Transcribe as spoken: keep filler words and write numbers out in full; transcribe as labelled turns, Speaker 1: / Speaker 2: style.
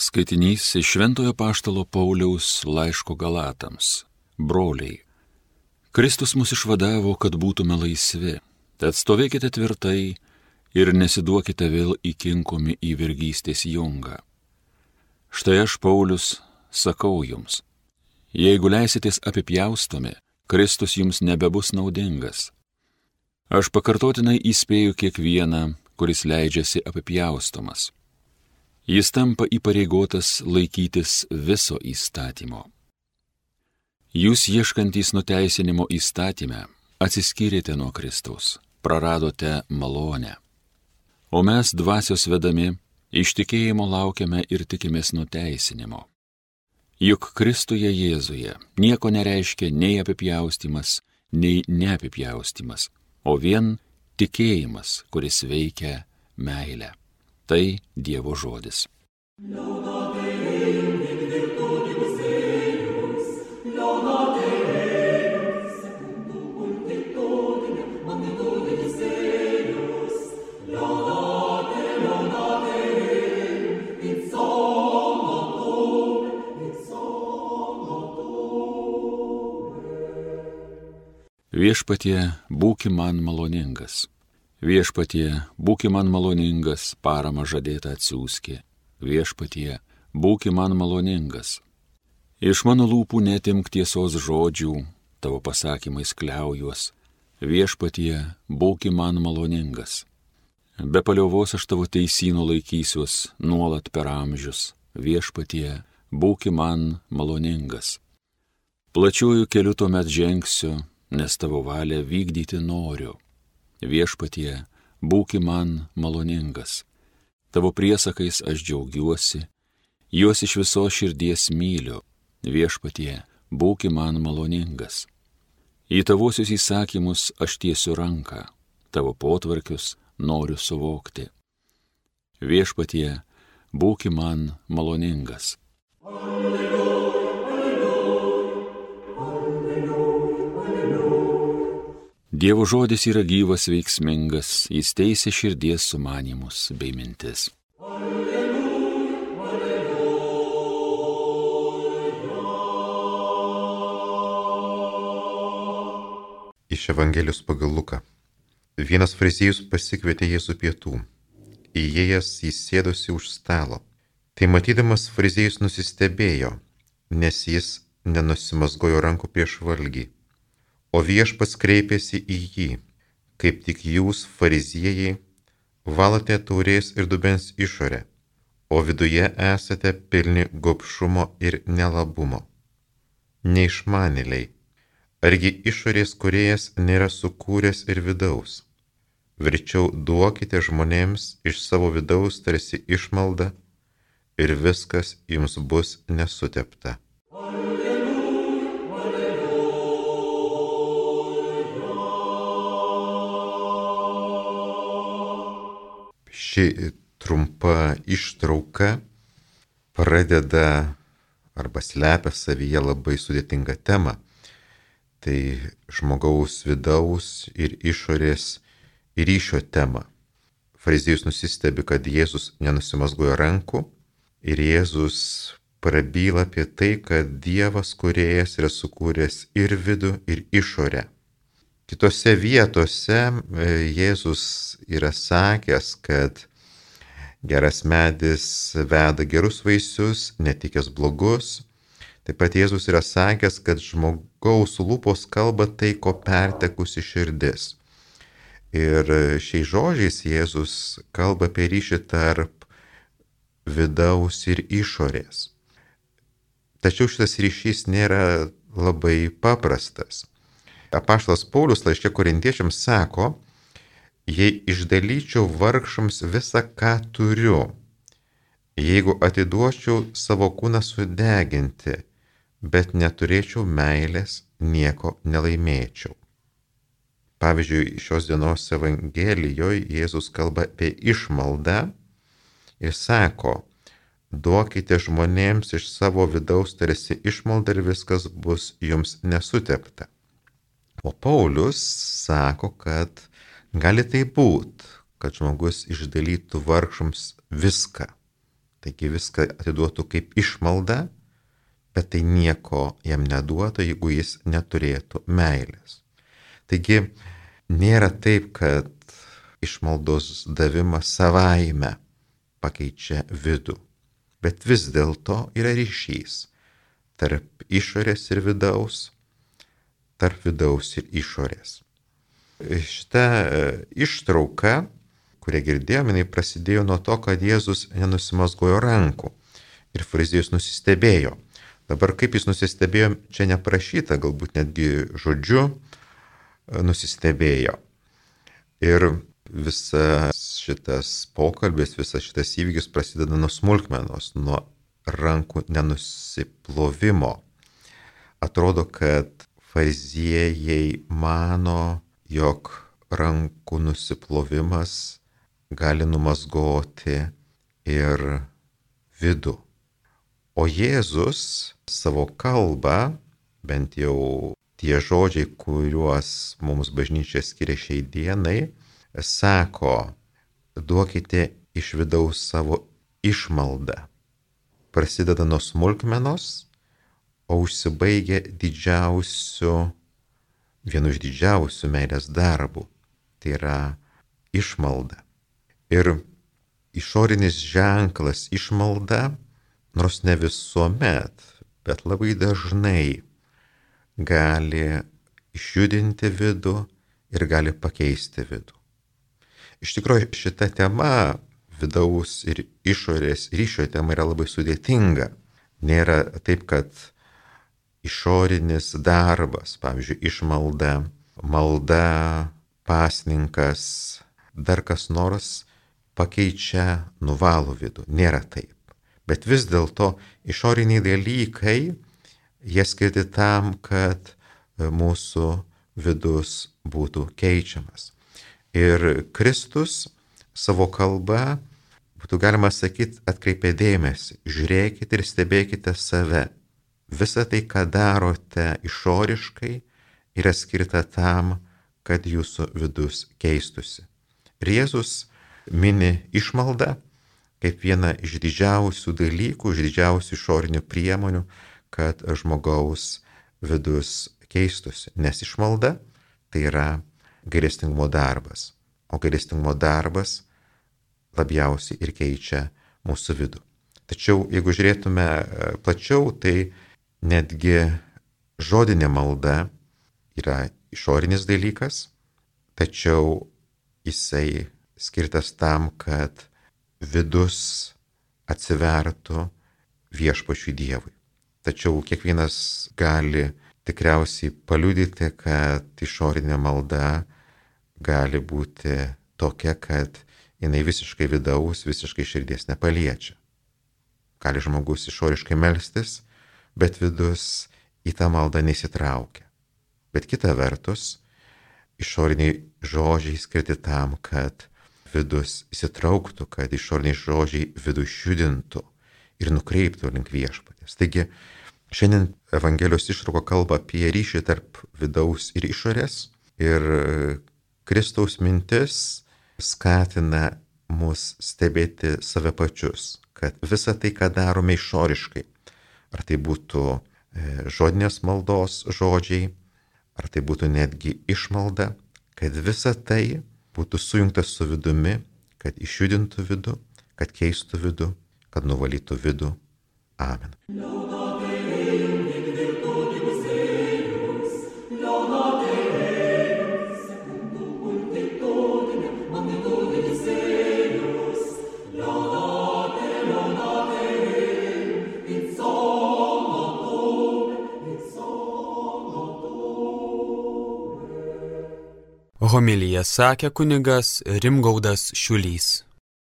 Speaker 1: Skaitinys iš Šventojo Apaštalo Pauliaus laiško Galatams. Broliai, Kristus mus išvadavo, kad būtume laisvi, tad stovėkite tvirtai ir nesiduokite vėl įkinkomi į vergystės jungą. Štai aš, Paulius, sakau jums, jeigu leisitės apipjaustomi, Kristus jums nebebus naudingas. Aš pakartotinai įspėju kiekvieną, kuris leidžiasi apipjaustomas. Jis tampa įpareigotas laikytis viso įstatymo. Jūs ieškantys nuteisinimo įstatyme atsiskyrėte nuo Kristaus, praradote malonę. O mes dvasios vedami iš tikėjimo laukiame ir tikimės nuteisinimo. Juk Kristuje Jėzuje nieko nereiškia nei apipjaustymas, nei neapipjaustymas, o vien tikėjimas, kuris veikia meilę. Tai Dievo žodis. Viešpatie, būki man maloningas. Viešpatie, būki man maloningas, paramą žadėtą atsiųski. Viešpatie, būki man maloningas. Iš mano lūpų netimk tiesos žodžių, tavo pasakymais kliaujuos. Viešpatie, būki man maloningas. Be paliovos aš tavo teisyno laikysiuos nuolat per amžius. Viešpatie, būki man maloningas. Plačiuoju keliu tuomet žengsiu, nes tavo valią vykdyti noriu. Viešpatie, būki man maloningas. Tavo priesakais aš džiaugiuosi, juos iš visos širdies myliu. Viešpatie, būki man maloningas. Į tavosius įsakymus aš tiesiu ranką, tavo potvarkius noriu suvokti. Viešpatie, būki man maloningas. Dievo žodis yra gyvas, veiksmingas, jis teisia širdies sumanymus bei mintis. Alleluja,
Speaker 2: alleluja. Iš Evangelijos pagal Luką. Vienas fariziejus pasikvietė Jėzų pietų. Įėjęs jis sėdosi už stalo. Tai matydamas fariziejus nusistebėjo, nes jis nenusimazgojo rankų prieš valgį. O Viešpats kreipėsi į jį, kaip tik jūs, fariziejai, valote taurės ir dubens išorę, o viduje esate pilni gobšumo ir nelabumo. Neišmanėliai, argi išorės kūrėjas nėra sukūręs ir vidaus? Verčiau duokite žmonėms iš savo vidaus tarsi išmaldą ir viskas jums bus nesutepta. Ši trumpa ištrauka pradeda arba slepia savyje labai sudėtingą temą. Tai žmogaus vidaus ir išorės ryšio tema. Fariziejus nusistebi, kad Jėzus nenusimazgojo rankų ir Jėzus prabyla apie tai, kad Dievas kūrėjas yra sukūręs ir vidų, ir išorę. Kitose vietose Jėzus yra sakęs, kad geras medis veda gerus vaisius, netikęs blogus. Taip pat Jėzus yra sakęs, kad žmogaus lūpos kalba tai, ko pertekusi širdis. Ir šiais žodžiais Jėzus kalba apie ryšį tarp vidaus ir išorės. Tačiau šitas ryšys nėra labai paprastas. Apaštalas Paulius laiške Korintiečiams sako, jei išdalyčiau vargšams visą, ką turiu, jeigu atiduočiau savo kūną sudeginti, bet neturėčiau meilės, nieko nelaimėčiau. Pavyzdžiui, šios dienos Evangelijoje Jėzus kalba apie išmaldą ir sako, duokite žmonėms iš savo vidaus tarsi išmaldą ir viskas bus jums nesutepta. O Paulius sako, kad gali tai būt, kad žmogus išdalytų vargšams viską, Taigi viską atiduotų kaip išmalda, bet tai nieko jam neduotų, jeigu jis neturėtų meilės. Taigi nėra taip, kad išmaldos davimas savaime pakeičia vidų, bet vis dėlto yra ryšys tarp išorės ir vidaus, tarp vidaus ir išorės. Šita ištrauka, kurią girdėjome, jinai prasidėjo nuo to, kad Jėzus nenusimazgojo rankų ir fariziejus nusistebėjo. Dabar kaip jis nusistebėjo, čia neprašyta, galbūt netgi žodžiu nusistebėjo. Ir visas šitas pokalbis, visas šitas įvykis prasideda nuo smulkmenos, nuo rankų nenusiplovimo. Atrodo, kad fariziejai mano, jog rankų nusiplovimas gali numazgoti ir vidų. O Jėzus savo kalbą, bent jau tie žodžiai, kuriuos mums bažnyčia skiria šiai dienai, sako, duokite iš vidaus savo išmaldą. Prasideda nuo smulkmenos, o užsibaigia didžiausiu, vienu iš didžiausių meilės darbų. Tai yra išmalda. Ir išorinis ženklas išmalda, nors ne visuomet, bet labai dažnai gali išjudinti vidų ir gali pakeisti vidų. Iš tikrųjų, šita tema, vidaus ir išorės ryšio tema, yra labai sudėtinga. Nėra taip, kad išorinis darbas, pavyzdžiui, išmalda, malda, pasninkas, dar kas nors pakeičia, nuvalo vidų. Nėra taip. Bet vis dėlto išoriniai dalykai, jie skirti tam, kad mūsų vidus būtų keičiamas. Ir Kristus savo kalbą, būtų galima sakyti, atkreipė dėmesį. Žiūrėkite ir stebėkite save. Visa tai, ką darote išoriškai, yra skirta tam, kad jūsų vidus keistusi. Ir Jėzus mini išmaldą kaip vieną iš didžiausių dalykų, iš didžiausių išorinių priemonių, kad žmogaus vidus keistusi. Nes išmalda tai yra gailestingumo darbas. O gailestingumo darbas labiausiai ir keičia mūsų vidų. Tačiau, jeigu žiūrėtume plačiau, tai netgi žodinė malda yra išorinis dalykas, tačiau jisai skirtas tam, kad vidus atsivertų viešpačiui Dievui. Tačiau kiekvienas gali tikriausiai paliudyti, kad išorinė malda gali būti tokia, kad jinai visiškai vidaus, visiškai širdies nepaliečia. Gali žmogus išoriškai melstis, bet vidus į tą maldą nesitraukia. Bet kita vertus, išoriniai žodžiai skirti tam, kad vidus įsitrauktų, kad išoriniai žodžiai vidų išjudintų ir nukreiptų link viešpaties. Taigi, šiandien Evangelijos ištrauka kalba apie ryšį tarp vidaus ir išorės, ir Kristaus mintis skatina mus stebėti save pačius, kad visa tai, ką darome išoriškai, ar tai būtų žodinės maldos žodžiai, ar tai būtų netgi išmalda, kad visa tai būtų sujungta su vidumi, kad išjudintų vidų, kad keistų vidų, kad nuvalytų vidų. Amen.
Speaker 3: Homiliją sakė kunigas Rimgaudas Šiulys.